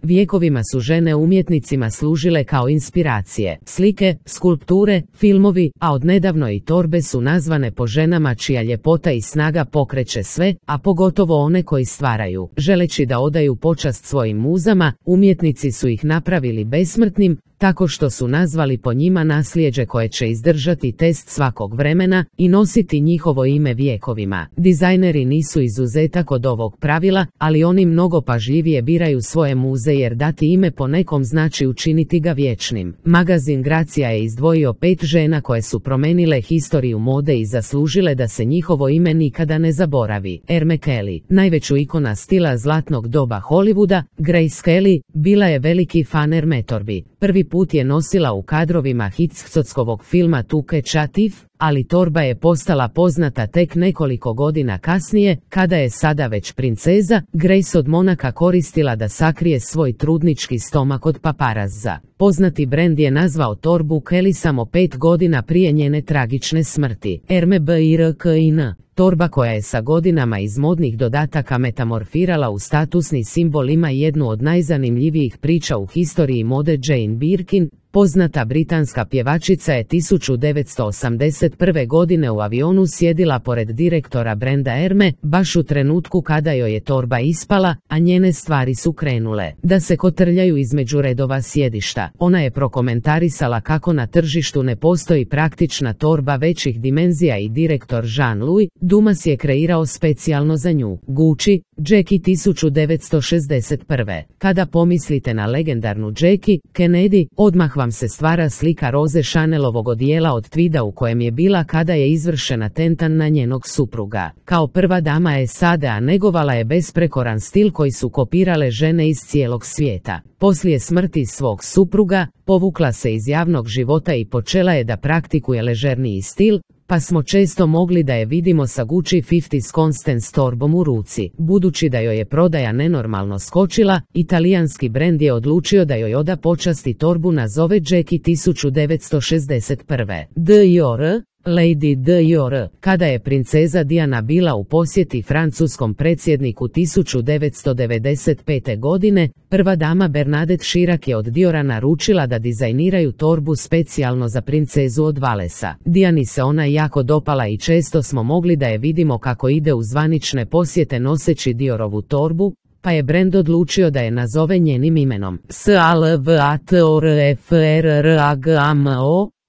Vjekovima su žene umjetnicima služile kao inspiracije. Slike, skulpture, filmovi, a odnedavno i torbe su nazvane po ženama čija ljepota i snaga pokreće sve, a pogotovo one koji stvaraju. Želeći da odaju počast svojim muzama, umjetnici su ih napravili besmrtnim, tako što su nazvali po njima nasljeđe koje će izdržati test svakog vremena i nositi njihovo ime vjekovima. Dizajneri nisu izuzetak od ovog pravila, ali oni mnogo pažljivije biraju svoje muze jer dati ime po nekom znači učiniti ga vječnim. Magazin Gracija je izdvojio 5 žena koje su promenile historiju mode i zaslužile da se njihovo ime nikada ne zaboravi. Erme Kelly, najveću ikona stila zlatnog doba Hollywooda, Grace Kelly, bila je veliki fan Erme torbi. Prvi put je nosila u kadrovima Hitchcockovog filma To Catch a Thief, ali torba je postala poznata tek nekoliko godina kasnije, kada je sada već princeza, Grace od Monaka koristila da sakrije svoj trudnički stomak od paparazza. Poznati brend je nazvao torbu Kelly samo 5 godina prije njene tragične smrti. Hermès Birkin, torba koja je sa godinama iz modnih dodataka metamorfirala u statusni simbol, ima jednu od najzanimljivijih priča u historiji mode. Jane Birkin, poznata britanska pjevačica, je 1981. godine u avionu sjedila pored direktora brenda Hermès, baš u trenutku kada joj je torba ispala, a njene stvari su krenule da se kotrljaju između redova sjedišta. Ona je prokomentarisala kako na tržištu ne postoji praktična torba većih dimenzija i direktor Jean-Louis Dumas je kreirao specijalno za nju. Gucci, Jackie 1961. Kada pomislite na legendarnu Jackie Kennedy, odmah vam se stvara slika Roze Chanelovog odijela od tvida u kojem je bila kada je izvršen atentat na njenog supruga. Kao prva dama SAD-a negovala je besprekoran stil koji su kopirale žene iz cijelog svijeta. Poslije smrti svog supruga, povukla se iz javnog života i počela je da praktikuje ležerniji stil, pa smo često mogli da je vidimo sa Gucci 50's Constance torbom u ruci. Budući da joj je prodaja nenormalno skočila, italijanski brend je odlučio da joj oda počasti torbu nazove Jackie 1961. Dior, Lady Dior. Kada je princeza Diana bila u posjeti francuskom predsjedniku 1995. godine, prva dama Bernadette Chirac je od Diora naručila da dizajniraju torbu specijalno za princezu od Valesa. Diani se ona jako dopala i često smo mogli da je vidimo kako ide u zvanične posjete noseći Diorovu torbu, pa je brend odlučio da je nazove njenim imenom. Salvatore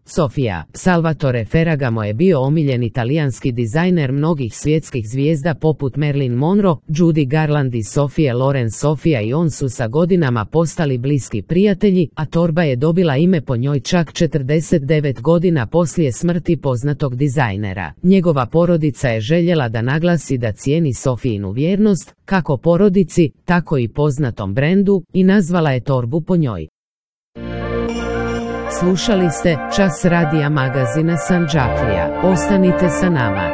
Sofia. Salvatore Ferragamo je bio omiljen italijanski dizajner mnogih svjetskih zvijezda poput Marilyn Monroe, Judy Garland i Sophie Loren. Sofia i on su sa godinama postali bliski prijatelji, a torba je dobila ime po njoj čak 49 godina poslije smrti poznatog dizajnera. Njegova porodica je željela da naglasi da cijeni Sofijinu vjernost, kako porodici, tako i poznatom brendu, i nazvala je torbu po njoj. Slušali ste Čas radija magazina Sanđaklija. Ostanite sa nama.